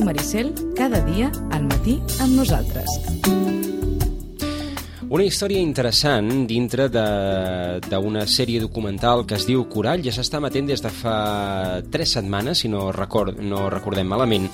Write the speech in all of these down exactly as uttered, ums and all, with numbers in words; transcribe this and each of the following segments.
Maricel, cada dia al matí amb nosaltres. Una història interessant dintre d'una sèrie documental que es diu Corall, ja s'està emetent des de fa tres setmanes, si no, record, no recordem malament.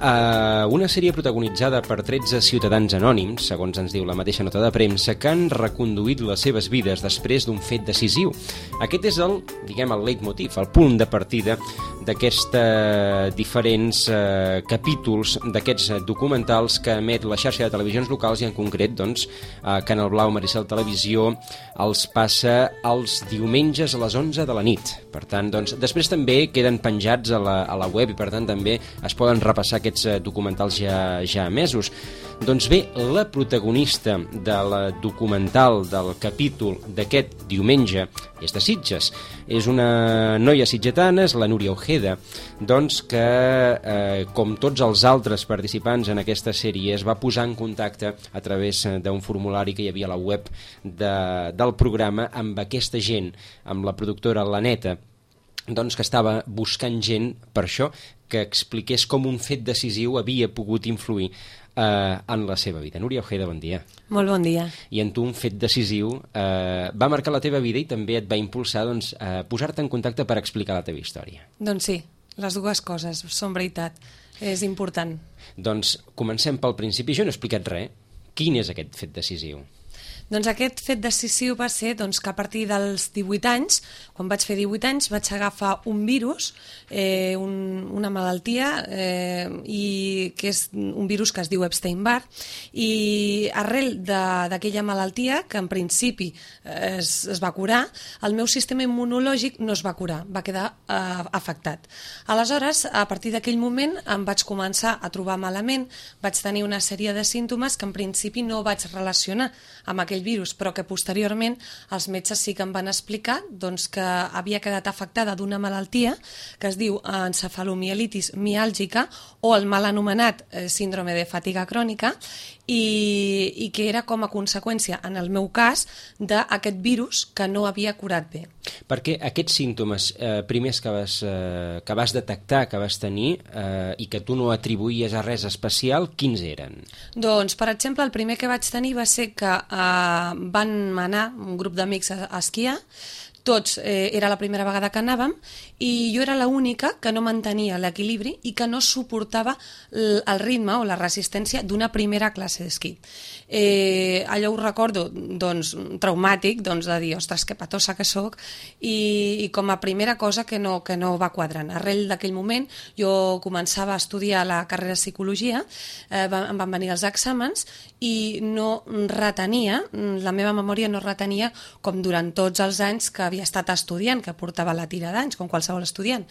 Uh, una sèrie protagonitzada per tretze ciutadans anònims, segons ens diu la mateixa nota de premsa, que han reconduït les seves vides després d'un fet decisiu. Aquest és el, diguem, el leitmotiv, el punt de partida d'aquests uh, diferents uh, capítols d'aquests documentals que emet la xarxa de televisions locals i en concret, doncs, uh, Canal Blau Maricel Televisió els passa els diumenges a les onze de la nit. Per tant, doncs, després també queden penjats a la, a la web i per tant també es poden repassar aquests documentals ja, ja emesos. Doncs bé, la protagonista del documental del capítol d'aquest diumenge és de Sitges. És una noia sitgetana, és la Núria Ojeda, doncs que, eh, com tots els altres participants en aquesta sèrie, es va posar en contacte a través d'un formulari que hi havia a la web de, del programa amb aquesta gent, amb la productora Laneta, doncs que estava buscant gent per això, que expliqués com un fet decisiu havia pogut influir eh, en la seva vida. Núria Ojeda, bon dia. Molt bon dia. I en tu un fet decisiu eh, va marcar la teva vida i també et va impulsar doncs, a posar-te en contacte per explicar la teva història. Doncs sí, les dues coses són veritat. És important. Doncs comencem pel principi. Jo no he explicat res. Quin és aquest fet decisiu? Doncs aquest fet decisiu va ser doncs, que a partir dels divuit anys, quan vaig fer divuit anys, vaig agafar un virus, eh, un, una malaltia, eh, i que és un virus que es diu Epstein-Barr, i arrel d'aquella malaltia, que en principi eh, es, es va curar, el meu sistema immunològic no es va curar, va quedar eh, afectat. Aleshores, a partir d'aquell moment, em vaig començar a trobar malament, vaig tenir una sèrie de símptomes que en principi no vaig relacionar amb aquell virus, però que posteriorment els metges sí que em van explicar doncs, que havia quedat afectada d'una malaltia que es diu encefalomielitis miàlgica o el mal anomenat eh, síndrome de fatiga crònica i, i que era com a conseqüència, en el meu cas, d'aquest virus que no havia curat bé. Perquè aquests símptomes eh, primers que vas, eh, que vas detectar, que vas tenir eh, i que tu no atribuïes a res especial, quins eren? Doncs, per exemple, el primer que vaig tenir va ser que eh, van anar un grup d'amics a, a esquiar, tots, eh, era la primera vegada que anàvem i jo era l'única que no mantenia l'equilibri i que no suportava el, el ritme o la resistència d'una primera classe d'esquí. Eh, allò ho recordo doncs, traumàtic, doncs, de dir, ostres, que patosa que soc, i, i com a primera cosa que no, que no va quadrant. Arrel d'aquell moment jo començava a estudiar la carrera de psicologia, eh, em van venir els exàmens i no retenia, la meva memòria no retenia com durant tots els anys que havia estat estudiant, que portava la tira d'anys, com qualsevol estudiant.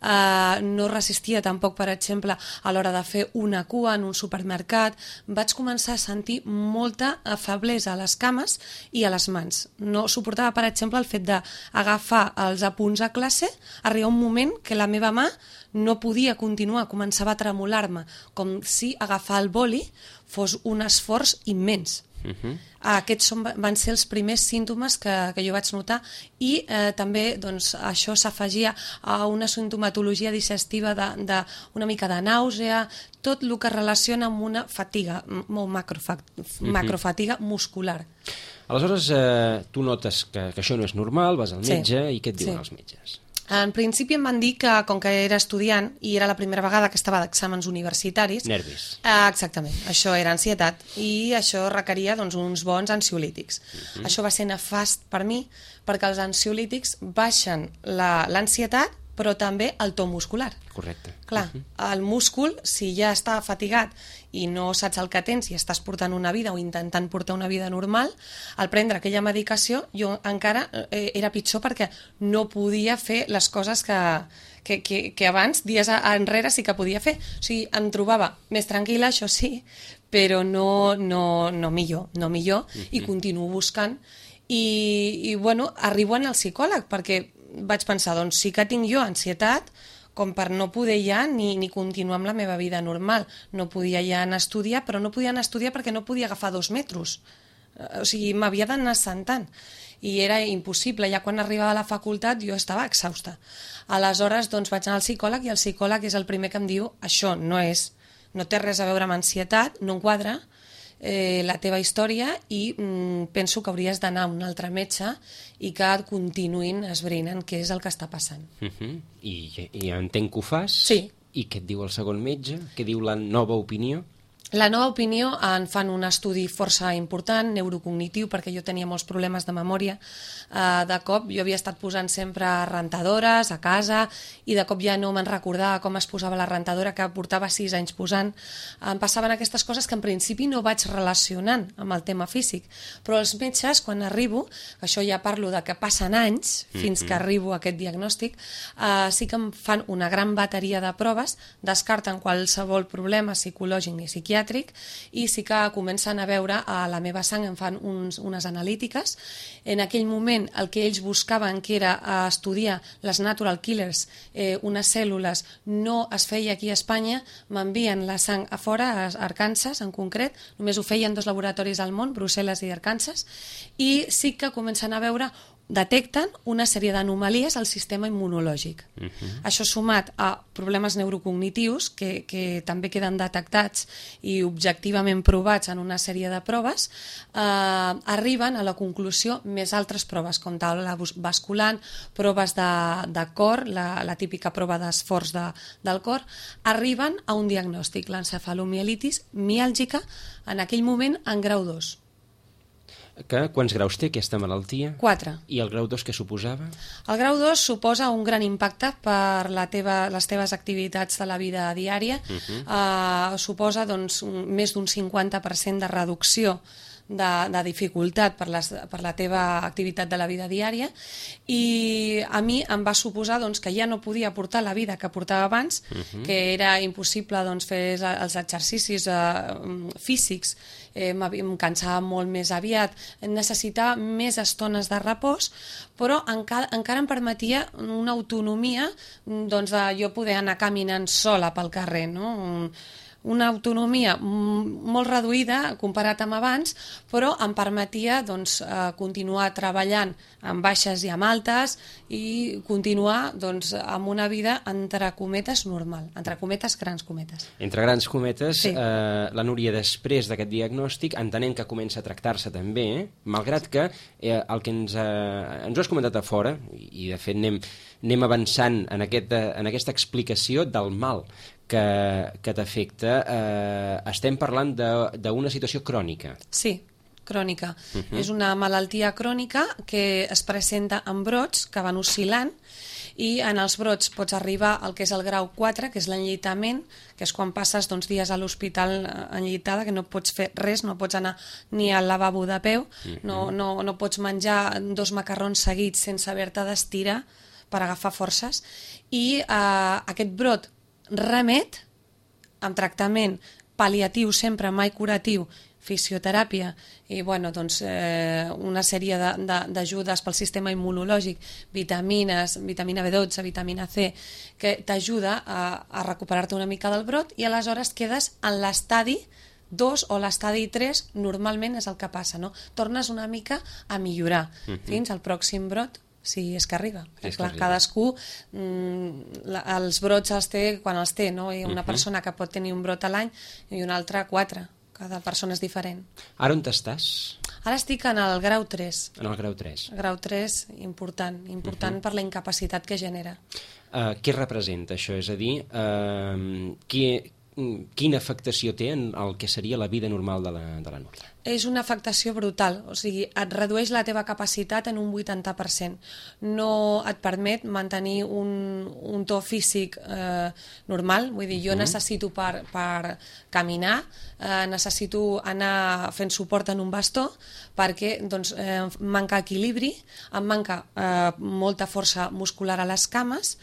Uh, no resistia tampoc, per exemple, a l'hora de fer una cua en un supermercat. Vaig començar a sentir molta feblesa a les cames i a les mans. No suportava, per exemple, el fet d'agafar els apunts a classe, arriba un moment que la meva mà no podia continuar, començava a tremolar-me, com si agafar el boli fos un esforç immens. Uh-huh. Aquests són, van ser els primers símptomes que, que jo vaig notar i eh, també doncs, això s'afegia a una sintomatologia digestiva d'una mica de nàusea, tot el que relaciona amb una fatiga, molt macrofa uh-huh. macrofatiga muscular. Aleshores, eh, tu notes que, que això no és normal, vas al metge, sí. I què et diuen sí. els metges? En principi em van dir que, com que era estudiant i era la primera vegada que estava d'exàmens universitaris... Nervis. Eh, exactament, això era ansietat i això requeria doncs, uns bons ansiolítics. Uh-huh. Això va ser nefast per mi perquè els ansiolítics baixen l'ansietat però també el to muscular. Correcte. Clar, uh-huh. el múscul, si ja està fatigat i no saps el que tens i estàs portant una vida o intentant portar una vida normal, al prendre aquella medicació jo encara eh, era pitjor perquè no podia fer les coses que, que, que, que abans, dies enrere, sí que podia fer. O sigui, em trobava més tranquil·la, això sí, però no, no, no millor, no millor, uh-huh. i continuo buscant. I, i bueno, arribo al psicòleg perquè vaig pensar, doncs sí que tinc jo ansietat com per no poder ja ni, ni continuar amb la meva vida normal. No podia ja anar a estudiar, però no podia anar a estudiar perquè no podia agafar dos metros. O sigui, m'havia d'anar sentant. I era impossible. Ja quan arribava a la facultat jo estava exhausta. Aleshores, doncs, vaig anar al psicòleg i el psicòleg és el primer que em diu això no és no té res a veure amb ansietat, no enquadra eh, la teva història i mm, penso que hauries d'anar a un altre metge i que et continuïn esbrinant què és el que està passant. Uh -huh. I, I entenc que ho fas? Sí. I què et diu el segon metge? Què diu la nova opinió? La nova opinió en fan un estudi força important, neurocognitiu, perquè jo tenia molts problemes de memòria. De cop jo havia estat posant sempre rentadores a casa i de cop ja no me'n recordava com es posava la rentadora, que portava sis anys posant. Em passaven aquestes coses que en principi no vaig relacionant amb el tema físic, però els metges, quan arribo, això ja parlo de que passen anys fins que arribo a aquest diagnòstic, eh, sí que em fan una gran bateria de proves, descarten qualsevol problema psicològic i psiquiàtric, i sí que comencen a veure a la meva sang, em fan uns, unes analítiques. En aquell moment el que ells buscaven, que era estudiar les natural killers, eh, unes cèl·lules, no es feia aquí a Espanya, m'envien la sang a fora, a Arkansas en concret, només ho feien dos laboratoris al món, Brussel·les i Arkansas, i sí que comencen a veure, detecten una sèrie d'anomalies al sistema immunològic. Uh-huh. Això sumat a problemes neurocognitius que, que també queden detectats i objectivament provats en una sèrie de proves, eh, arriben a la conclusió més altres proves, com taula basculant, proves de, de cor, la, la típica prova d'esforç de, del cor, arriben a un diagnòstic, l'encefalomielitis miàlgica, en aquell moment en grau dos. Que, quants graus té aquesta malaltia? Quatre. I el grau dos què suposava? El grau dos suposa un gran impacte per la teva, les teves activitats de la vida diària. Uh-huh. uh, suposa doncs, un, més d'un cinquanta per cent de reducció de, de dificultat per, les, per la teva activitat de la vida diària, i a mi em va suposar doncs, que ja no podia portar la vida que portava abans, uh-huh. que era impossible doncs, fer els exercicis uh, físics, eh, em cansava molt més aviat, necessitava més estones de repòs, però encara, encara em permetia una autonomia doncs, de jo poder anar caminant sola pel carrer, no? Una autonomia molt reduïda comparat amb abans, però em permetia doncs, continuar treballant amb baixes i amb altes i continuar doncs, amb una vida entre cometes normal, entre cometes, grans cometes. Entre grans cometes, sí. eh, la Núria després d'aquest diagnòstic, entenent que comença a tractar-se també, eh, malgrat que eh, el que ens, eh, ens ho has comentat a fora, i de fet anem, anem avançant en, aquest, en aquesta explicació del mal que, que t'afecta, eh, estem parlant d'una situació crònica. Sí, crònica. Uh-huh. És una malaltia crònica que es presenta en brots que van oscil·lant, i en els brots pots arribar al que és el grau quatre, que és l'enlleitament, que és quan passes doncs, dies a l'hospital enlleitada, que no pots fer res, no pots anar ni al lavabo de peu, uh-huh. no, no, no pots menjar dos macarrons seguits sense haver-te d'estirar per agafar forces, i eh, aquest brot remet amb tractament pal·liatiu sempre, mai curatiu, fisioteràpia i bueno, doncs, eh, una sèrie d'ajudes pel sistema immunològic, vitamines, vitamina B dotze, vitamina C, que t'ajuda a, a recuperar-te una mica del brot, i aleshores quedes en l'estadi dos o l'estadi tres, normalment és el que passa, no? Tornes una mica a millorar uh-huh. fins al pròxim brot, si és que arriba. Si és clar, que arriba. Cadascú mm, la, els brots els té quan els té, no? Hi ha una uh-huh. persona que pot tenir un brot a l'any i una altra quatre. Cada persona és diferent. Ara on estàs? Ara estic en el grau tres. En el grau tres. Grau tres, important, important uh-huh. per la incapacitat que genera. Uh, què representa això? És a dir, uh, qui, quina afectació té en el que seria la vida normal de la, de la Núria? És una afectació brutal, o sigui, et redueix la teva capacitat en un vuitanta per cent. No et permet mantenir un, un to físic eh, normal, vull dir, jo uh-huh. necessito per, per caminar, eh, necessito anar fent suport en un bastó, perquè doncs, eh, em manca equilibri, em manca eh, molta força muscular a les cames,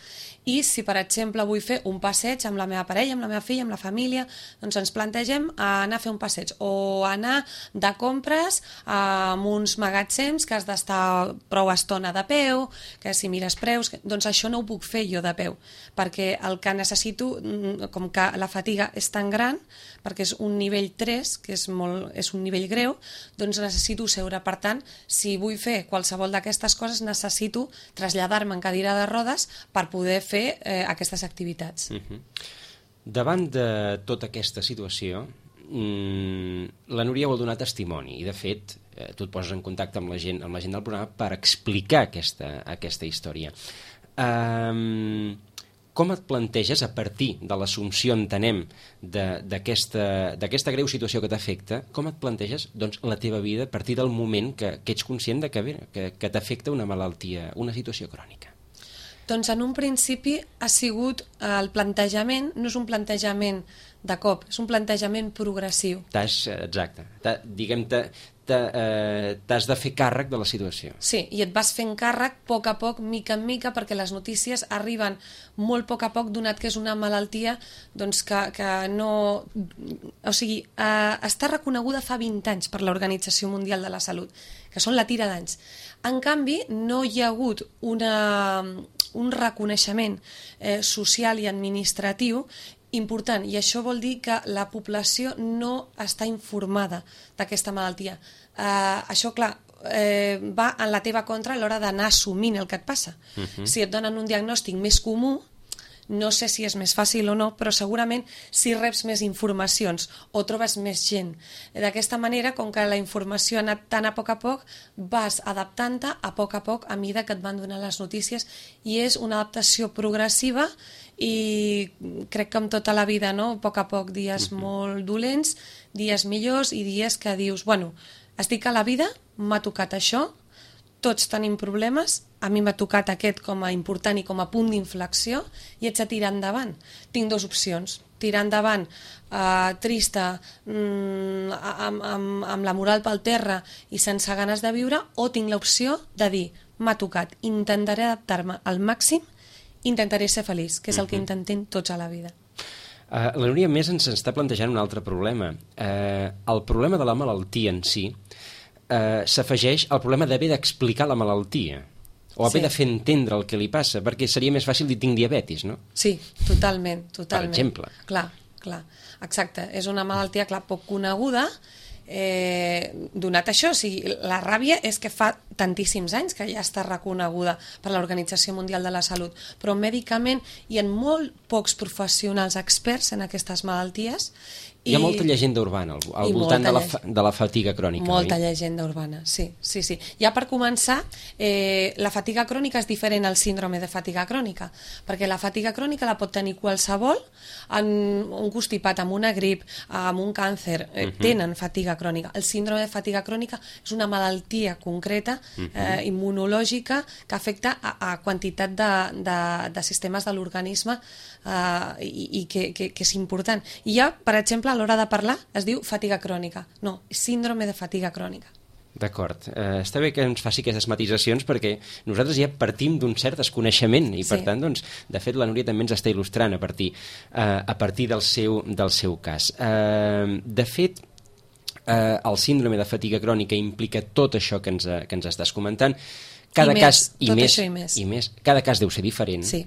i si, per exemple, vull fer un passeig amb la meva parella, amb la meva filla, amb la família, doncs ens plantegem anar a fer un passeig, o anar de compres amb uns magatzems que has d'estar prou estona de peu, que si mires preus, que... doncs això no ho puc fer jo de peu, perquè el que necessito, com que la fatiga és tan gran, perquè és un nivell tres, que és, molt, és un nivell greu, doncs necessito seure. Per tant, si vull fer qualsevol d'aquestes coses, necessito traslladar-me en cadira de rodes per poder fer eh, aquestes activitats. Uh-huh. Davant de tota aquesta situació, la Núria vol donar testimoni i, de fet, tu et poses en contacte amb la gent, amb la gent del programa per explicar aquesta, aquesta història. Um, com et planteges, a partir de l'assumpció, entenem, d'aquesta greu situació que t'afecta, com et planteges doncs, la teva vida a partir del moment que, que ets conscient de que, que, que t'afecta una malaltia, una situació crònica? Doncs en un principi ha sigut el plantejament, no és un plantejament de cop, és un plantejament progressiu. T'has, exacte, diguem, t'has de fer càrrec de la situació. Sí, i et vas fent càrrec a poc a poc, mica en mica, perquè les notícies arriben molt a poc a poc, donat que és una malaltia doncs que, que no... O sigui, eh, està reconeguda fa vint anys per l'Organització Mundial de la Salut, que són la tira d'anys. En canvi, no hi ha hagut una, un reconeixement eh, social i administratiu important, i això vol dir que la població no està informada d'aquesta malaltia. Eh, això, clar, eh, va en la teva contra a l'hora d'anar assumint el que et passa. Uh-huh. Si et donen un diagnòstic més comú, no sé si és més fàcil o no, però segurament si reps més informacions o trobes més gent. D'aquesta manera, com que la informació ha anat tan a poc a poc, vas adaptant-te a poc a poc a mesura que et van donar les notícies, i és una adaptació progressiva, i crec que amb tota la vida, no? A poc a poc, dies uh-huh. molt dolents, dies millors i dies que dius, bueno, estic a la vida, m'ha tocat això, tots tenim problemes, a mi m'ha tocat aquest com a important i com a punt d'inflexió, i haig de tirar endavant. Tinc dues opcions, tirar endavant eh, trista, mm, amb, amb, amb la moral pel terra i sense ganes de viure, o tinc l'opció de dir, m'ha tocat, intentaré adaptar-me al màxim, intentaré ser feliç, que és el que intentem tots a la vida. Uh, la Núria, més, ens està plantejant un altre problema. Uh, el problema de la malaltia en si uh, s'afegeix al problema d'haver d'explicar la malaltia, o haver sí. de fer entendre el que li passa, perquè seria més fàcil dir tinc diabetis, no? Sí, totalment, totalment. Per exemple. Clar, clar, exacte. És una malaltia, clar, poc coneguda, eh, donat això, o sigui, la ràbia és que fa tantíssims anys que ja està reconeguda per l'Organització Mundial de la Salut, però mèdicament hi ha molt pocs professionals experts en aquestes malalties. Hi ha molta llegenda urbana al, al voltant de la, de la fatiga crònica. Molta oi? llegenda urbana, sí, sí, sí. Ja per començar, eh, la fatiga crònica és diferent al síndrome de fatiga crònica, perquè la fatiga crònica la pot tenir qualsevol, en un constipat, amb una grip, amb un càncer, eh, uh-huh. tenen fatiga crònica. El síndrome de fatiga crònica és una malaltia concreta, uh-huh. eh, immunològica, que afecta a, a quantitat de, de, de sistemes de l'organisme, Uh, i, i que, que, que és important. I ja, per exemple, a l'hora de parlar es diu fatiga crònica. No, és síndrome de fatiga crònica. D'acord. Uh, està bé que ens faci aquestes matisacions, perquè nosaltres ja partim d'un cert desconeixement i, per sí. tant, doncs, de fet, la Núria també ens està il·lustrant a partir, uh, a partir del, seu, del seu cas. Uh, de fet, uh, el síndrome de fatiga crònica implica tot això que ens, que ens estàs comentant. Cada I cas, més, i tot més, això i més. I més. Cada cas deu ser diferent. Sí.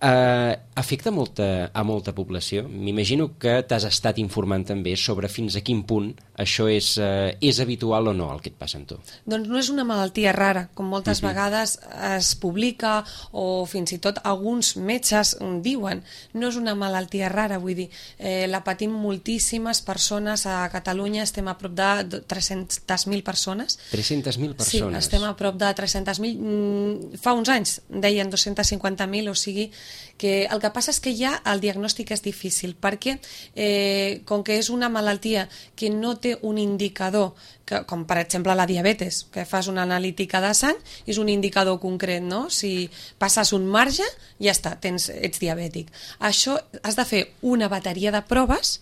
Uh, afecta molta, a molta població? M'imagino que t'has estat informant també sobre fins a quin punt això és, uh, és habitual o no, el que et passa amb tu. Doncs no és una malaltia rara, com moltes uh-huh. vegades es publica, o fins i tot alguns metges diuen. No és una malaltia rara, vull dir, eh, la patim moltíssimes persones a Catalunya, estem a prop de tres-centes mil persones. tres-centes mil persones? Sí, estem a prop de tres-centes mil. Mm, fa uns anys deien dos-cents cinquanta mil, o sigui que el que passa és que ja el diagnòstic és difícil, perquè eh, com que és una malaltia que no té un indicador, que, com per exemple la diabetes, que fas una analítica de sang, és un indicador concret, no? Si passes un marge, ja està, tens, ets diabètic. Això has de fer una bateria de proves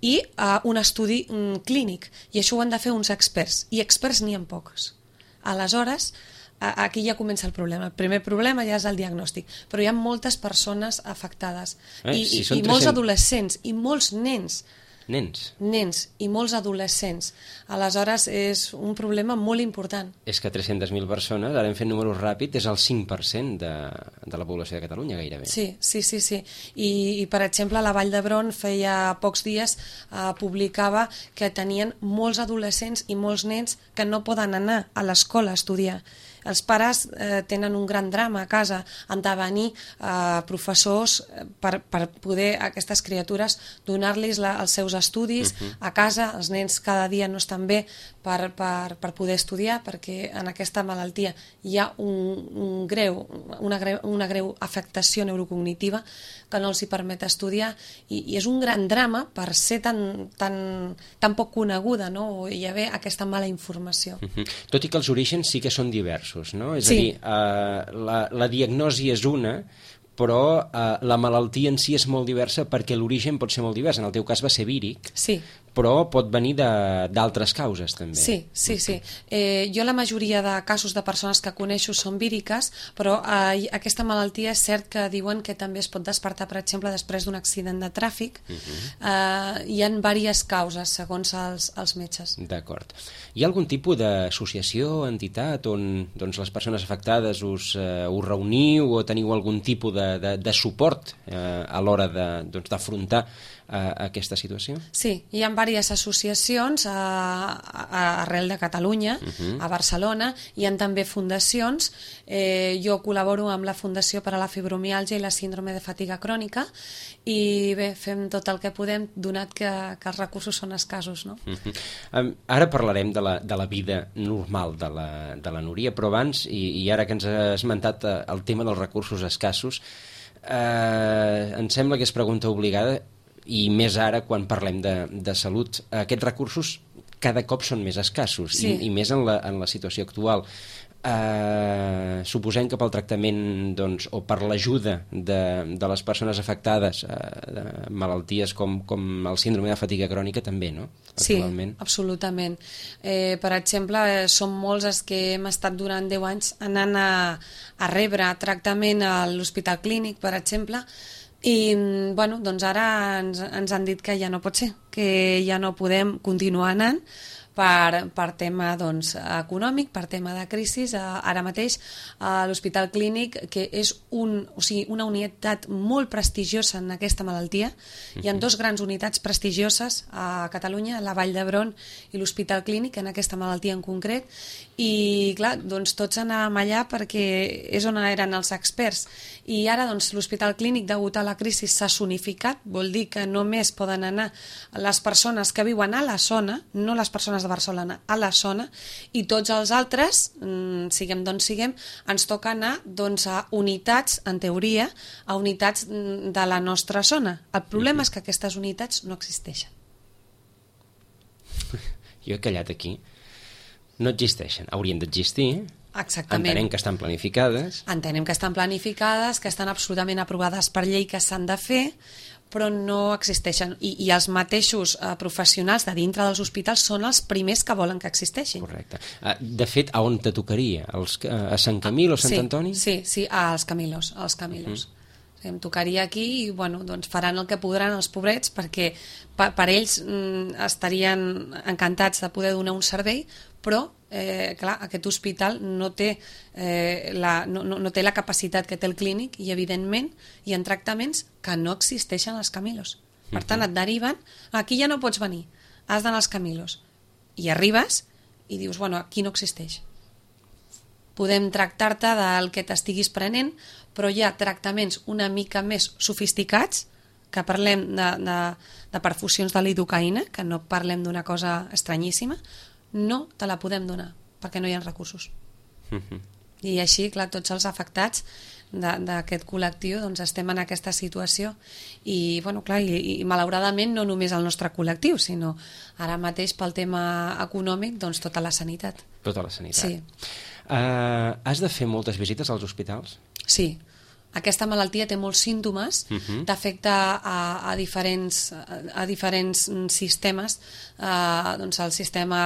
i uh, un estudi um, clínic, i això ho han de fer uns experts, i experts n'hi ha pocs. Aleshores, aquí ja comença el problema. El primer problema ja és el diagnòstic, però hi ha moltes persones afectades, eh, i, si i, i tres-cents... molts adolescents i molts nens nens nens i molts adolescents. Aleshores és un problema molt important. És que tres-centes mil persones, ara hem fet números ràpids, és el cinc per cent de, de la població de Catalunya gairebé. Sí, sí, sí, sí. I, i per exemple la Vall d'Hebron feia pocs dies eh, publicava que tenien molts adolescents i molts nens que no poden anar a l'escola a estudiar. els pares eh, tenen un gran drama a casa, han de venir eh, professors per, per poder a aquestes criatures donar-los els seus estudis uh-huh. a casa. Els nens cada dia no estan bé per, per, per poder estudiar, perquè en aquesta malaltia hi ha un, un greu, una, greu, una greu afectació neurocognitiva que no els hi permet estudiar, i, i és un gran drama per ser tan, tan, tan poc coneguda, no? O hi ha aquesta mala informació. Uh-huh. Tot i que els orígens sí que són diversos, no? És sí. a dir, uh, la, la diagnosi és una, però uh, la malaltia en si és molt diversa perquè l'origen pot ser molt divers. En el teu cas va ser víric, sí. però pot venir d'altres causes també. Sí, sí, sí. Eh, jo la majoria de casos de persones que coneixo són víriques, però eh, aquesta malaltia és cert que diuen que també es pot despertar, per exemple, després d'un accident de tràfic. Uh-huh. eh, hi ha diverses causes, segons els, els metges. D'acord. Hi ha algun tipus d'associació, entitat, on doncs, les persones afectades us, eh, us reuniu o teniu algun tipus de, de, de suport eh, a l'hora d'afrontar de, doncs, a aquesta situació? Sí, hi ha diverses associacions a, a, arrel de Catalunya, uh-huh. a Barcelona, hi ha també fundacions. Eh, jo col·laboro amb la Fundació per a la Fibromiàlgia i la Síndrome de Fatiga Crònica, i bé, fem tot el que podem, donat que, que els recursos són escassos, no? Uh-huh. um, ara parlarem de la, de la vida normal de la, de la Núria, però abans, i, i ara que ens ha esmentat el tema dels recursos escassos, eh, em sembla que és pregunta obligada, i més ara quan parlem de, de salut. Aquests recursos cada cop són més escassos, sí. i, i més en la, en la situació actual. Eh, suposem que pel tractament, doncs, o per l'ajuda de, de les persones afectades eh, de malalties com, com el síndrome de fatiga crònica també, no? Actualment. Sí, absolutament. Eh, per exemple, eh, som molts els que hem estat durant deu anys anant a, a rebre tractament a l'Hospital Clínic, per exemple, i bueno, doncs ara ens, ens han dit que ja no pot ser, que ja no podem continuar anant per, per tema doncs, econòmic, per tema de crisi. Ara mateix a l'Hospital Clínic, que és un, o sigui, una unitat molt prestigiosa en aquesta malaltia, hi ha dues grans unitats prestigioses a Catalunya, la Vall d'Hebron i l'Hospital Clínic, en aquesta malaltia en concret, i clar, doncs tots anàvem allà perquè és on eren els experts, i ara doncs l'Hospital Clínic, degut a la crisi, s'ha zonificat, vol dir que només poden anar les persones que viuen a la zona, no les persones de Barcelona, a la zona, i tots els altres, siguem d'on siguem, ens toca anar doncs, a unitats, en teoria, a unitats de la nostra zona. El problema és que aquestes unitats no existeixen. Jo he callat aquí. No existeixen, haurien d'existir. Exactament. Entenem que estan planificades. Entenem que estan planificades, que estan absolutament aprovades per llei, que s'han de fer, però no existeixen. I, i els mateixos eh, professionals de dintre dels hospitals són els primers que volen que existeixin. Correcte. De fet, a on te tocaria? Els, a Sant Camil o Sant sí, Antoni? Sí, sí, als Camilos. Als Camilos. Uh-huh. Em tocaria aquí i bueno, doncs faran el que podran els pobrets, perquè per, per ells mm, estarien encantats de poder donar un servei, però eh, clar, aquest hospital no té, eh, la, no, no, no té la capacitat que té el clínic, i evidentment hi ha tractaments que no existeixen als Camilos. Per tant, et deriven, aquí ja no pots venir, has d'anar als Camilos, i arribes i dius, bueno, aquí no existeix. Podem tractar-te del que t'estiguis prenent, però hi ha tractaments una mica més sofisticats, que parlem de, de, de perfusions de lidocaïna, que no parlem d'una cosa estranyíssima, no te la podem donar, perquè no hi ha recursos. Uh-huh. I així, clar, tots els afectats d'aquest col·lectiu doncs estem en aquesta situació. I, bueno, clar, i, i malauradament no només el nostre col·lectiu, sinó ara mateix pel tema econòmic, doncs tota la sanitat. Tota la sanitat. Sí. Uh, has de fer moltes visites als hospitals? Sí. Aquesta malaltia té molts símptomes, uh-huh. t'afecta a, a, diferents, a, a diferents sistemes, eh, doncs el sistema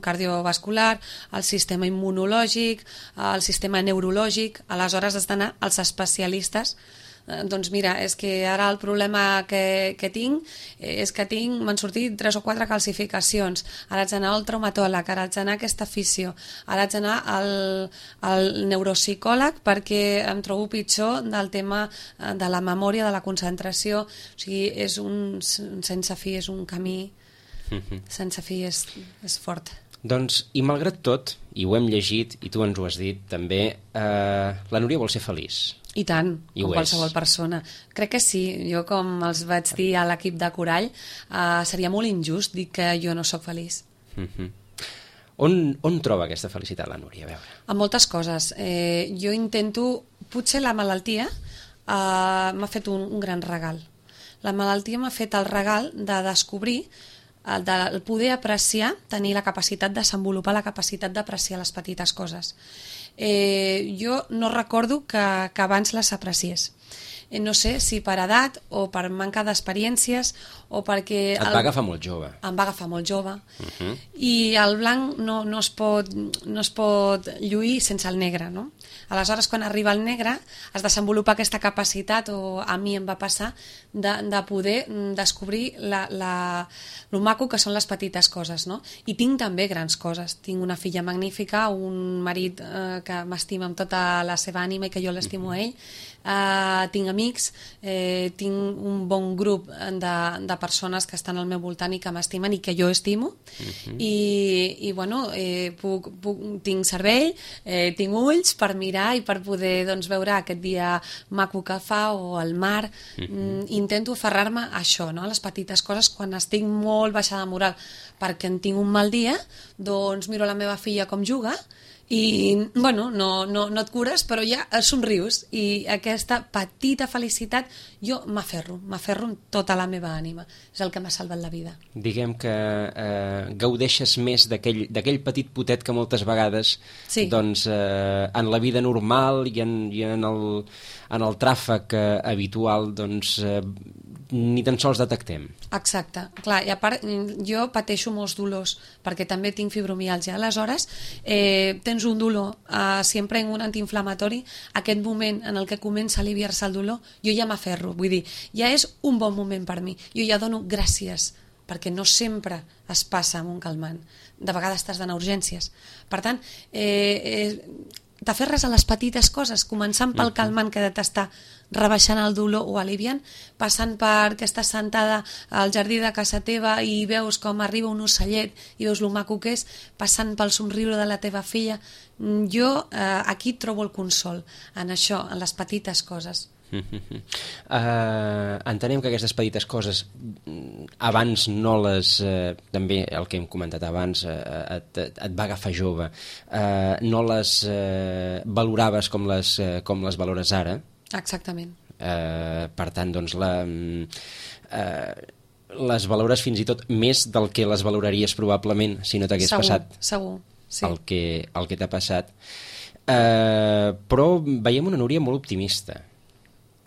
cardiovascular, el sistema immunològic, el sistema neurològic. Aleshores has d'anar als especialistes. Eh, doncs mira, és que ara el problema que, que tinc és que tinc, m'han sortit tres o quatre calcificacions, ara haig d'anar al traumatòleg, ara haig d'anar a aquesta fisio, ara haig d'anar al, al neuropsicòleg perquè em trobo pitjor del tema de la memòria, de la concentració. O sigui, és un sense fi, és un camí sense fi, és, és fort. Doncs, i malgrat tot, i ho hem llegit, i tu ens ho has dit també, eh, la Núria vol ser feliç. I tant, I com ho qualsevol és. persona. Crec que sí, jo com els vaig dir a l'equip de Corall, eh, seria molt injust dir que jo no sóc feliç. Mm-hmm. On, on troba aquesta felicitat la Núria? A veure. En moltes coses. Eh, jo intento... Potser la malaltia eh, m'ha fet un, un gran regal. La malaltia m'ha fet el regal de descobrir, el de poder apreciar, tenir la capacitat de desenvolupar la capacitat d'apreciar les petites coses. Eh, jo no recordo que, que abans les apreciés. Eh, no sé si per edat o per manca d'experiències o perquè... Et va agafar molt jove. Em va agafar molt jove. Uh-huh. I el blanc no, no, es pot, no es pot lluir sense el negre, no? Aleshores, quan arriba el negre, es desenvolupa aquesta capacitat, o a mi em va passar, de, de poder descobrir la, la, lo maco que són les petites coses, no? I tinc també grans coses. Tinc una filla magnífica, un marit eh, que m'estima amb tota la seva ànima i que jo l'estimo a ell, eh, tinc amics, eh, tinc un bon grup de, de persones que estan al meu voltant i que m'estimen i que jo estimo, uh-huh. i, i bueno, eh, puc, puc, tinc cervell, eh, tinc ulls per mirar i per poder doncs, veure aquest dia maco que fa o el mar. Uh-huh. Intento aferrar-me a això, no? A les petites coses. Quan estic molt baixada de moral perquè en tinc un mal dia, doncs miro la meva filla com juga i, bueno, no, no, no et cures, però ja somrius, i aquesta petita felicitat jo m'aferro, m'aferro amb tota la meva ànima. És el que m'ha salvat la vida. Diguem que eh, gaudeixes més d'aquell d'aquell petit potet que moltes vegades sí. doncs, eh, en la vida normal i en, i en, el, en el tràfic eh, habitual doncs, eh, ni tan sols detectem. Exacte. Clar, i a part, jo pateixo molts dolors, perquè també tinc fibromiàlgia. Aleshores, eh, tens un dolor, eh, si em prenc un antiinflamatori, aquest moment en el que comença a aliviar-se el dolor, jo ja m'aferro. Vull dir, ja és un bon moment per mi. Jo ja dono gràcies, perquè no sempre es passa amb un calmant. De vegades t'has d'anar a urgències. Per tant, eh, eh, t'aferres a les petites coses, començant pel calmant que t'està rebaixant el dolor o aliviant, passant per que estàs sentada al jardí de casa teva i veus com arriba un ocellet i veus lo maco que és, passant pel somriure de la teva filla. Jo eh, aquí trobo el consol, en això, en les petites coses. Uh, entenem que aquestes petites coses abans no les uh, també el que hem comentat abans uh, et, et va agafar jove, uh, no les uh, valoraves com les, uh, com les valores ara. Exactament. Uh, per tant, doncs la, uh, les valores fins i tot més del que les valoraries probablement si no t'hagués passat segur, sí. el que, el que t'ha passat. Uh, però veiem una Núria molt optimista.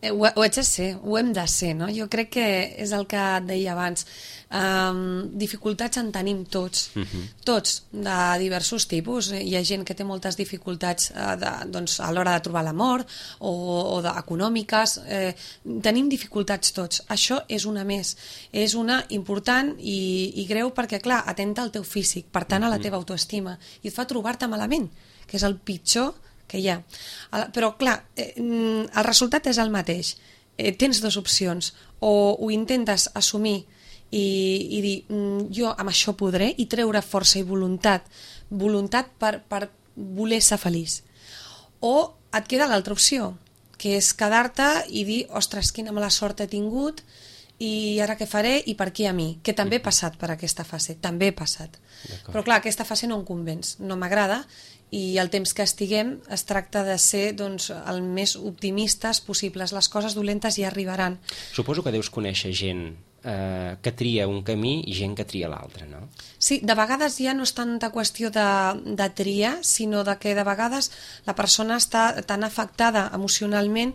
Ho, ho haig de ser, ho hem de ser, no? Jo crec que és el que et deia abans. Um, dificultats en tenim tots, uh-huh. tots, de diversos tipus. Hi ha gent que té moltes dificultats uh, de, doncs, a l'hora de trobar l'amor o, o de, econòmiques. Eh, tenim dificultats tots. Això és una més. És una important i, i greu perquè, clar, atenta al teu físic, per tant, a la teva autoestima, i et fa trobar-te malament, que és el pitjor que hi ha. Però, clar, eh, el resultat és el mateix. Eh, tens dues opcions. O ho intentes assumir i, i dir, jo amb això podré, i treure força i voluntat, voluntat per, per voler ser feliç. O et queda l'altra opció, que és quedar-te i dir, ostres, quina mala sort he tingut, i ara què faré i per què a mi? Que també he passat per aquesta fase, també he passat. Però clar, aquesta fase no em convenç, no m'agrada, i el temps que estiguem es tracta de ser doncs, el més optimistes possibles. Les coses dolentes ja arribaran. Suposo que deus conèixer gent eh, que tria un camí i gent que tria l'altre, no? Sí, de vegades ja no és tanta qüestió de, de triar, sinó de que de vegades la persona està tan afectada emocionalment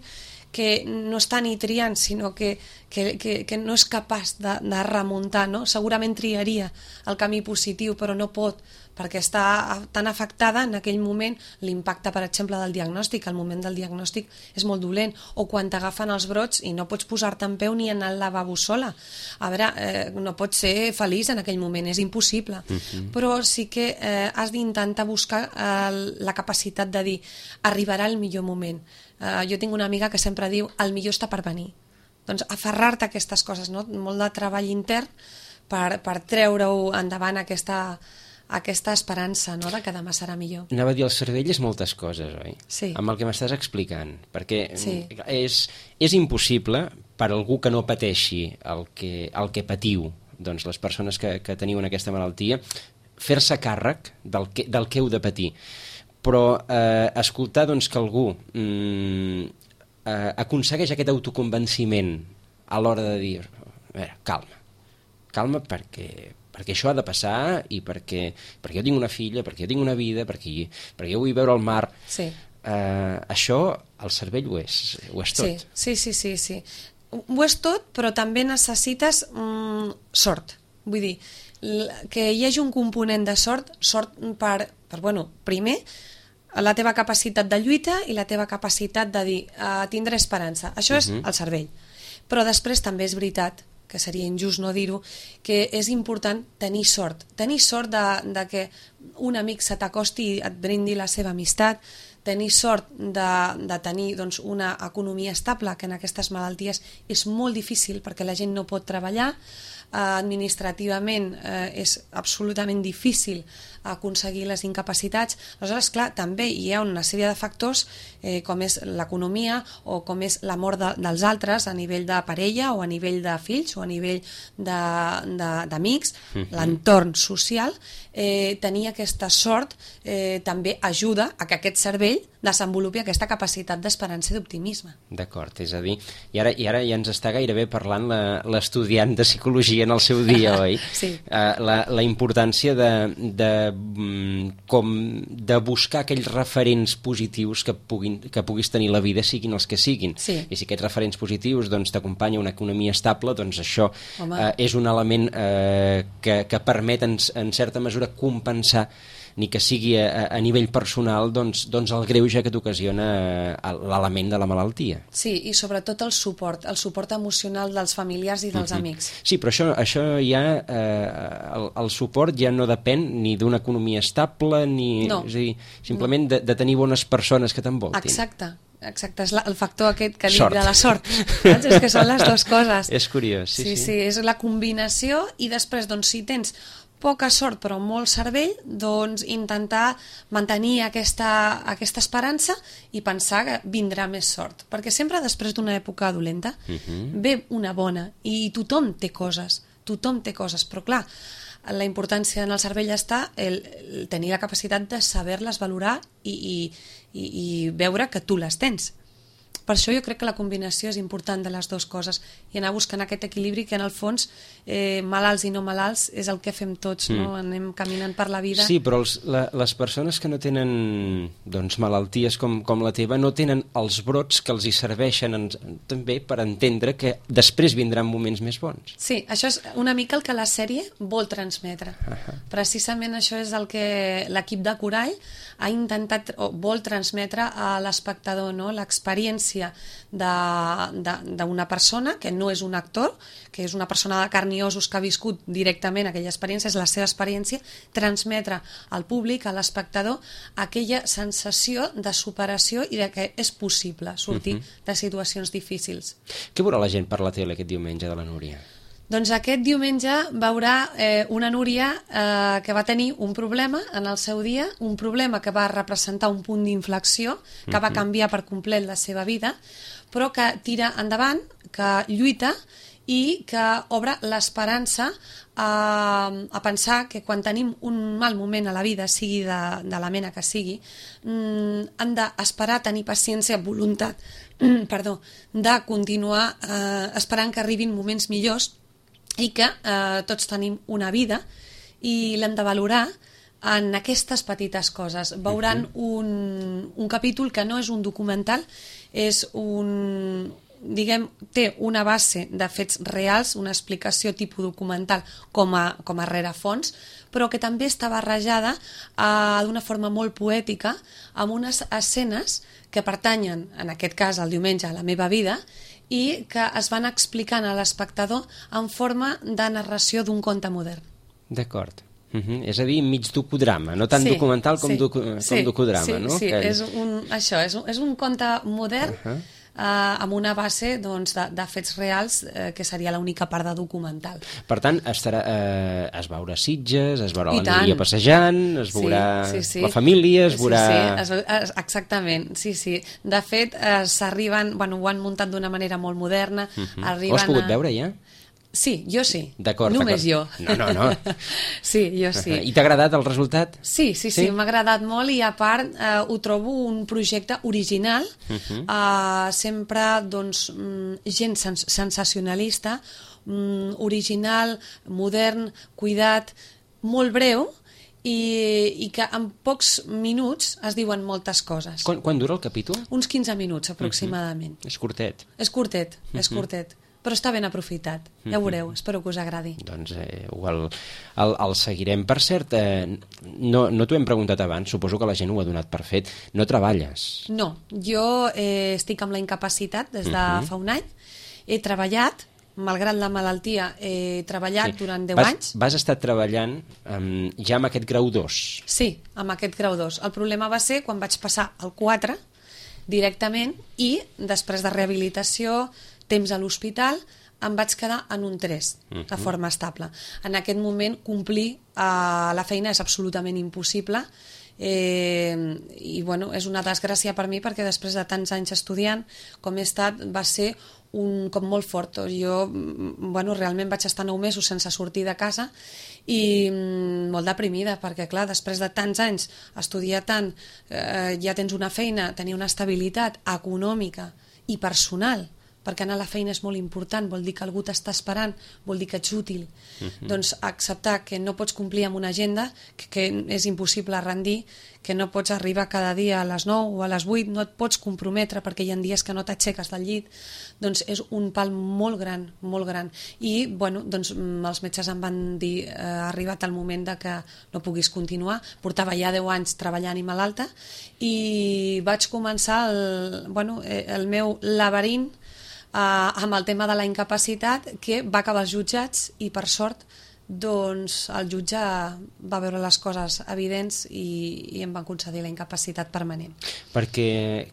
que no està ni triant, sinó que, que, que, que no és capaç de, de remuntar, no? Segurament triaria el camí positiu, però no pot, perquè està tan afectada en aquell moment. L'impacte, per exemple, del diagnòstic, el moment del diagnòstic és molt dolent, o quan t'agafen els brots i no pots posar-te en peu ni anar al lavabo sola. A veure, eh, no pots ser feliç en aquell moment, és impossible. Uh-huh. Però sí que eh, has d'intentar buscar eh, la capacitat de dir, arribarà el millor moment. Uh, jo tinc una amiga que sempre diu el millor està per venir. Doncs aferrar-te a aquestes coses, no? Molt de treball intern per, per treure-ho endavant aquesta, aquesta esperança, no?, de que demà serà millor. Anava a dir, el cervell és moltes coses, oi? Sí. Amb el que m'estàs explicant, perquè Sí. és, és impossible per algú que no pateixi el que, el que patiu, doncs les persones que, que teniu en aquesta malaltia, fer-se càrrec del que, del que heu de patir. Però eh, escoltar doncs, que algú mm, eh, aconsegueix aquest autoconvenciment a l'hora de dir, a veure, calma, calma perquè, perquè això ha de passar i perquè, perquè jo tinc una filla, perquè jo tinc una vida, perquè, perquè jo vull veure el mar. Sí. Eh, això, el cervell ho és, ho és tot. Sí, sí, sí, sí, sí. Ho és tot, però també necessites mm, sort. Vull dir, que hi hagi un component de sort, sort per, per bueno, primer, la teva capacitat de lluita i la teva capacitat de dir uh, tindré esperança. Això és Uh-huh. el cervell. Però després també és veritat, que seria injust no dir-ho, que és important tenir sort. Tenir sort de, de que un amic se t'acosti i et brindi la seva amistat, tenir sort de, de tenir doncs, una economia estable, que en aquestes malalties és molt difícil perquè la gent no pot treballar, eh, administrativament eh, és absolutament difícil aconseguir les incapacitats. Aleshores, clar, també hi ha una sèrie de factors eh, com és l'economia o com és la mort de, dels altres a nivell de parella o a nivell de fills o a nivell d'amics, Mhm. l'entorn social. Eh, tenir aquesta sort eh, també ajuda a que aquest cervell desenvolupi aquesta capacitat d'esperança i d'optimisme. D'acord, és a dir, i ara, i ara ja ens està gairebé parlant la- l'estudiant de psicologia en el seu dia, oi? Sí. Uh, la, la importància de, de, mm, com de buscar aquells referents positius que, puguin, que puguis tenir la vida, siguin els que siguin. Sí. I si aquests referents positius doncs, t'acompanya una economia estable, doncs això Home. uh, és un element uh, que, que permet en, en certa mesura compensar ni que sigui a, a nivell personal doncs, doncs el greuge que t'ocasiona eh, l'element de la malaltia. Sí, i sobretot el suport, el suport emocional dels familiars i dels Mhm. amics. Sí, però això, això ja, eh, el, el suport ja no depèn ni d'una economia estable, ni, No. és a dir, simplement de, de tenir bones persones que t'envoltin. Exacte, exacte, és la, el factor aquest que dic Sort. de la sort. Saps? És que són les dues coses. És curiós, sí, sí, sí. sí, és la combinació i després, doncs, si tens poca sort però molt cervell, doncs intentar mantenir aquesta, aquesta esperança i pensar que vindrà més sort. Perquè sempre després d'una època dolenta Mhm. ve una bona i tothom té coses, tothom té coses, però clar, la importància en el cervell està el, el tenir la capacitat de saber-les valorar i, i, i, i veure que tu les tens. Per això jo crec que la combinació és important de les dues coses i anar buscant aquest equilibri que en el fons eh, malalts i no malalts és el que fem tots, mm. no? Anem caminant per la vida. Sí, però els, la, les persones que no tenen doncs, malalties com, com la teva no tenen els brots que els hi serveixen en, també per entendre que després vindran moments més bons. Sí, això és una mica el que la sèrie vol transmetre. Ahà. Precisament això és el que l'equip de Corall ha intentat o vol transmetre a l'espectador, no? L'experiència d'una persona que no és un actor, que és una persona de carn i ossos que ha viscut directament aquella experiència, és la seva experiència, transmetre al públic, a l'espectador, aquella sensació de superació i de que és possible sortir Mhm. de situacions difícils. Què veurà la gent per la tele aquest diumenge de la Núria? Doncs aquest diumenge veurà eh, una Núria eh, que va tenir un problema en el seu dia, un problema que va representar un punt d'inflexió, que va canviar per complet la seva vida, però que tira endavant, que lluita i que obre l'esperança a, a pensar que quan tenim un mal moment a la vida, sigui de, de la mena que sigui, mm, hem d'esperar, tenir paciència, voluntat, perdó, de continuar eh, esperant que arribin moments millors i que eh, tots tenim una vida i l'hem de valorar en aquestes petites coses. Veuran un, un capítol que no és un documental, és un, diguem, té una base de fets reals, una explicació tipus documental com a, com a rerefons, però que també està barrejada eh, d'una forma molt poètica amb unes escenes que pertanyen, en aquest cas el diumenge, a la meva vida, i que es van explicant a l'espectador en forma de narració d'un conte modern. D'acord. Uh -huh. És a dir, mig docudrama, no tant Sí, documental com, sí, docu com sí, docudrama, sí, no? Sí, que... és un, això, és un, és un conte modern, Uh -huh. eh, amb una base doncs, de, de fets reals, eh, que seria l'única part de documental. Per tant, estarà, eh, es veurà Sitges, es veurà I la Núria passejant, es veurà sí, sí, sí. la família, es veurà... Sí, sí, es, es, exactament, sí, sí. De fet, eh, s'arriben, bueno, ho han muntat d'una manera molt moderna. Uh -huh. Arriben Ho has pogut a... veure ja? Sí, jo sí. D'acord, només jo. No, no, no. Sí, jo sí. I t'ha agradat el resultat? Sí, sí, sí, sí? m'ha agradat molt i a part eh, ho trobo un projecte original, uh -huh. eh, sempre doncs, gent sens sensacionalista, mm, original, modern, cuidat, molt breu, i, i que en pocs minuts es diuen moltes coses. Quan, quan dura el capítol? Uns quinze minuts aproximadament. Uh -huh. És curtet. És curtet, uh -huh. és curtet. Però està ben aprofitat, ja ho veureu, espero que us agradi. Doncs eh, el, el, el seguirem. Per cert, eh, no, no t'ho hem preguntat abans, suposo que la gent ho ha donat per fet. No treballes? No, jo eh, estic amb la incapacitat des de uh-huh. fa un any. He treballat, malgrat la malaltia, he treballat sí. durant deu vas, anys. Vas estar treballant um, ja amb aquest grau dos? Sí, amb aquest grau dos. El problema va ser quan vaig passar al quatre directament i després de rehabilitació, temps a l'hospital, em vaig quedar en un tres, uh-huh. de forma estable. En aquest moment complir uh, la feina és absolutament impossible, eh, i bueno, és una desgràcia per mi perquè després de tants anys estudiant com he estat va ser un cop molt fort. Jo bueno, realment vaig estar nou mesos sense sortir de casa i mm, molt deprimida perquè clar, després de tants anys estudiar tant, eh, ja tens una feina, tenir una estabilitat econòmica i personal, perquè anar a la feina és molt important, vol dir que algú t'està esperant, vol dir que ets útil. Uh-huh. Doncs acceptar que no pots complir amb una agenda, que, que és impossible rendir, que no pots arribar cada dia a les nou o a les vuit, no et pots comprometre perquè hi ha dies que no t'aixeques del llit, doncs és un pal molt gran, molt gran. I bueno, doncs, els metges em van dir eh, ha arribat el moment de que no puguis continuar. Portava ja deu anys treballant i malalta i vaig començar el, bueno, el meu laberint Uh, amb el tema de la incapacitat, que va acabar als jutjats i per sort doncs el jutge va veure les coses evidents i, i em van concedir la incapacitat permanent. Perquè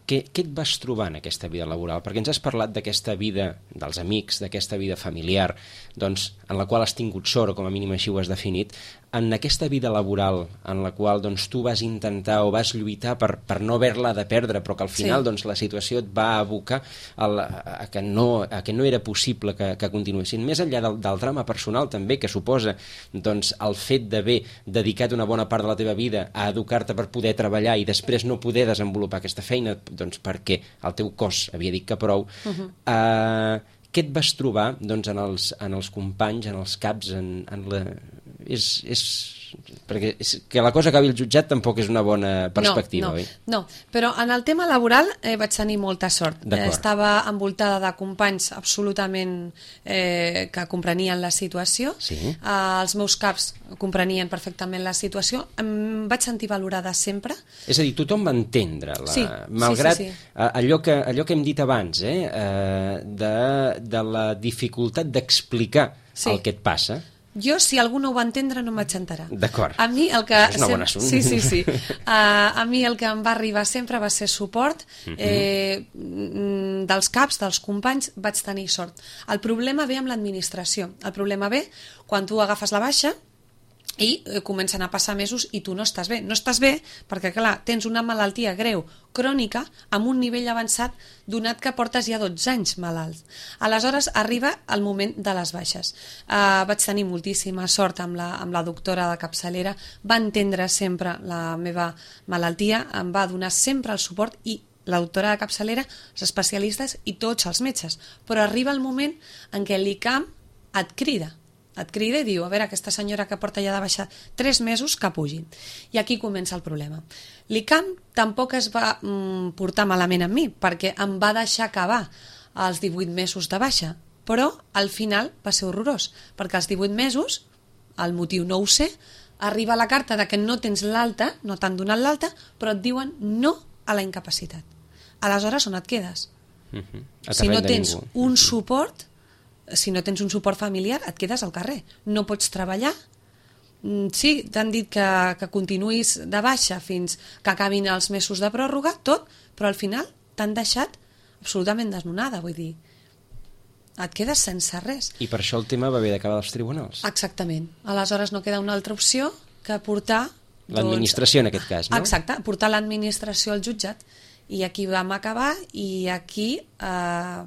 què, què et vas trobar en aquesta vida laboral? Perquè ens has parlat d'aquesta vida dels amics, d'aquesta vida familiar, doncs, en la qual has tingut sort, com a mínim així ho has definit. En aquesta vida laboral en la qual doncs, tu vas intentar o vas lluitar per, per no haver-la de perdre, però que al final sí. doncs, la situació et va abocar a, a, que no, a que no era possible que, que continuessin. Més enllà del, del drama personal també, que suposa doncs, el fet d'haver dedicat una bona part de la teva vida a educar-te per poder treballar i després no poder desenvolupar aquesta feina doncs, perquè el teu cos havia dit que prou, uh-huh. eh, què et vas trobar doncs, en, els, en els companys, en els caps, en, en la... És, és... perquè és, que la cosa acabi al jutjat tampoc és una bona perspectiva, no, no, oi? No, però en el tema laboral eh, vaig tenir molta sort. Eh, estava envoltada de companys absolutament eh, que comprenien la situació. Sí. Eh, els meus caps comprenien perfectament la situació. Em vaig sentir valorada sempre. És a dir, tothom va entendre, la... sí, malgrat sí, sí, sí. Allò, que, allò que hem dit abans, eh, eh, de, de la dificultat d'explicar sí. el que et passa. Jo, si algú no ho va entendre, no em vaig enterar. D'acord. A mi el que... És una bona assunt. Sí, sí, sí. Uh, a mi el que em va arribar sempre va ser suport. Uh-huh. eh, dels caps, dels companys, vaig tenir sort. El problema ve amb l'administració. El problema ve quan tu agafes la baixa i eh, comencen a passar mesos i tu no estàs bé. No estàs bé perquè, clar, tens una malaltia greu, crònica, amb un nivell avançat, donat que portes ja dotze anys malalt. Aleshores arriba el moment de les baixes. Uh, vaig tenir moltíssima sort amb la, amb la doctora de capçalera, va entendre sempre la meva malaltia, em va donar sempre el suport i la doctora de capçalera, els especialistes i tots els metges. Però arriba el moment en què l'I C A M et crida. Et crida i diu, a veure, aquesta senyora que porta ja de baixa tres mesos, que pugi. I aquí comença el problema. L'I C A M tampoc es va mm, portar malament amb mi, perquè em va deixar acabar els divuit mesos de baixa, però al final va ser horrorós, perquè als divuit mesos, el motiu no ho sé, arriba la carta de que no tens l'alta, no t'han donat l'alta, però et diuen no a la incapacitat. Aleshores, on et quedes? Uh-huh. Si no tens un suport, si no tens un suport familiar, et quedes al carrer. No pots treballar. Sí, t'han dit que, que continuïs de baixa fins que acabin els mesos de pròrroga, tot, però al final t'han deixat absolutament desnonada, vull dir, et quedes sense res. I per això el tema va haver d'acabar als tribunals. Exactament. Aleshores no queda una altra opció que portar... L'administració, en aquest cas, no? Exacte, portar l'administració al jutjat. I aquí vam acabar i aquí eh,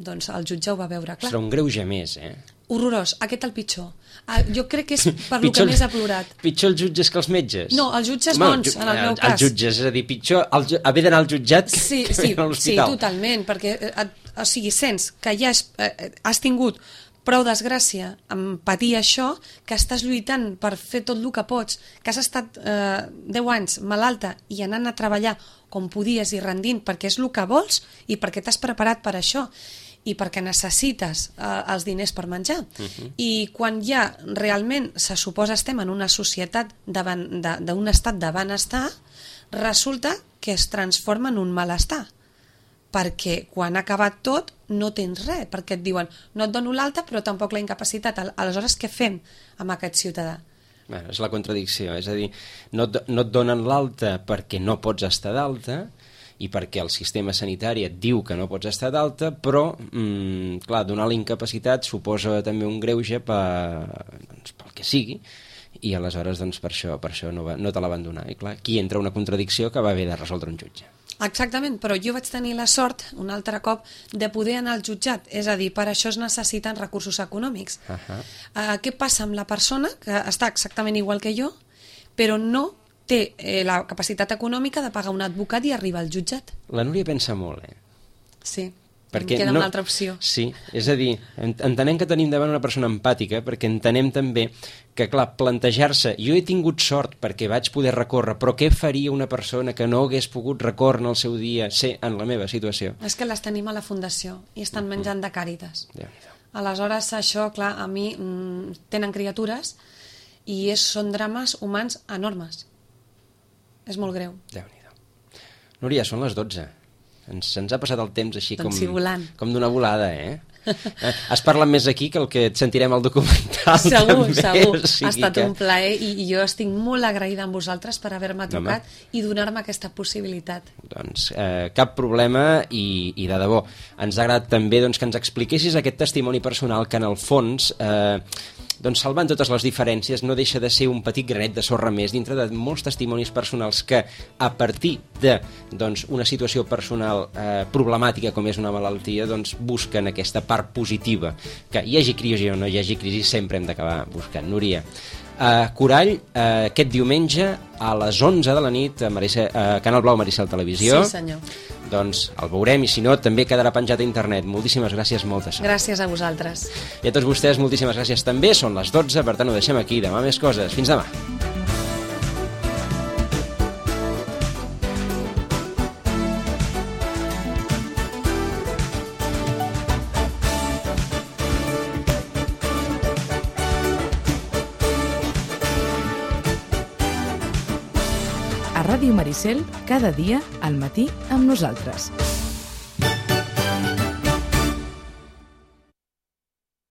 doncs el jutge ho va veure clar. Serà un greuge més, eh? Horrorós, aquest el pitjor. Ah, jo crec que és per lo que més ha plorat. Pitjor els jutges que els metges? No, els jutges Home, bons, en el meu cas. Els jutges, és a dir, pitjor el, haver d'anar al jutjat sí, que sí, a l'hospital. Sí, totalment, perquè et, o sigui, sents que ja has, eh, has tingut prou desgràcia en patir això, que estàs lluitant per fer tot el que pots, que has estat eh, deu anys malalta i anant a treballar com podies i rendint perquè és el que vols i perquè t'has preparat per això i perquè necessites eh, els diners per menjar. Uh-huh. I quan ja realment se suposa estem en una societat d'un estat de benestar, resulta que es transforma en un malestar. Perquè quan ha acabat tot no tens res, perquè et diuen no et dono l'alta però tampoc la incapacitat. Aleshores què fem amb aquest ciutadà? Bueno, és la contradicció, és a dir, no et, no et donen l'alta perquè no pots estar d'alta i perquè el sistema sanitari et diu que no pots estar d'alta, però, mmm, clar, donar la incapacitat suposa també un greuge per, doncs, pel que sigui, i aleshores doncs, per això, per això no, va, no te la van donar. I clar, aquí entra una contradicció que va haver de resoldre un jutge. Exactament, però jo vaig tenir la sort, un altre cop, de poder anar al jutjat. És a dir, per això es necessiten recursos econòmics. Uh-huh. Uh, què passa amb la persona que està exactament igual que jo, però no té eh, la capacitat econòmica de pagar un advocat i arribar al jutjat? La Núria pensa molt, eh? Sí. Perquè em queda no, una altra opció. Sí, és a dir, entenem que tenim davant una persona empàtica, perquè entenem també que, clar, plantejar-se, jo he tingut sort perquè vaig poder recórrer, però què faria una persona que no hagués pogut recórrer en el seu dia, ser en la meva situació? És que les tenim a la fundació i estan menjant de Càritas. Déu-n'hi-do. Aleshores, això, clar, a mi mm, tenen criatures i és, són drames humans enormes. És molt greu. Déu-n'hi-do. Núria, són les dotze. Ens, ens ha passat el temps així doncs com, sí, volant. com d'una volada, eh? Has parlat més aquí que el que et sentirem al documental. Segur, també, segur. o sigui ha estat que... un plaer i, i jo estic molt agraïda amb vosaltres per haver-me trucat no, i donar-me aquesta possibilitat. Doncs eh, cap problema i, i de debò. Ens ha agradat també doncs, que ens expliquessis aquest testimoni personal que en el fons... Eh, doncs salvant totes les diferències no deixa de ser un petit granet de sorra més dintre de molts testimonis personals que a partir de doncs, una situació personal eh, problemàtica com és una malaltia doncs busquen aquesta part positiva, que hi hagi crisi o no hi hagi crisi sempre hem d'acabar buscant. Núria, eh, Corall eh, aquest diumenge a les onze de la nit a Maricel, eh, Canal Blau Maricel Televisió. Sí, senyor. Doncs el veurem i si no també quedarà penjat a internet. Moltíssimes gràcies, moltes sort. Gràcies a vosaltres. I a tots vostès moltíssimes gràcies també. Són les dotze, per tant ho deixem aquí. Demà més coses. Fins demà. A Ràdio Maricel, cada dia al matí amb nosaltres.